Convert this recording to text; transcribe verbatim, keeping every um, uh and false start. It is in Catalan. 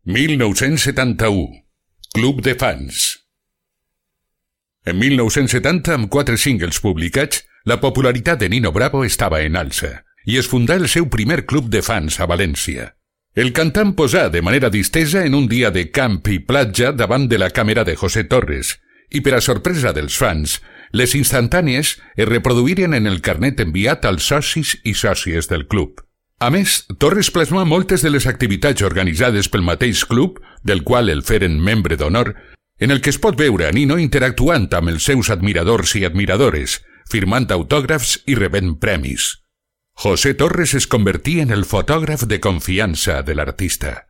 mil nou-cents setanta-u. Club de fans. En mil nou-cents setanta, amb quatre singles publicats, la popularitat de Nino Bravo estava en alça i es fundà el seu primer club de fans a València. El cantant posà de manera distesa en un dia de camp i platja davant de la càmera de José Torres i, per a sorpresa dels fans, les instantànies es reproduïren en el carnet enviat als socis i sòcies del club. A més, Torres plasmà moltes de les activitats organitzades pel mateix club, del qual el feren membre d'honor, en el que es pot veure a Nino interactuant amb els seus admiradors i admiradores, firmant autògrafs i rebent premis. José Torres es convertí en el fotògraf de confiança de l'artista.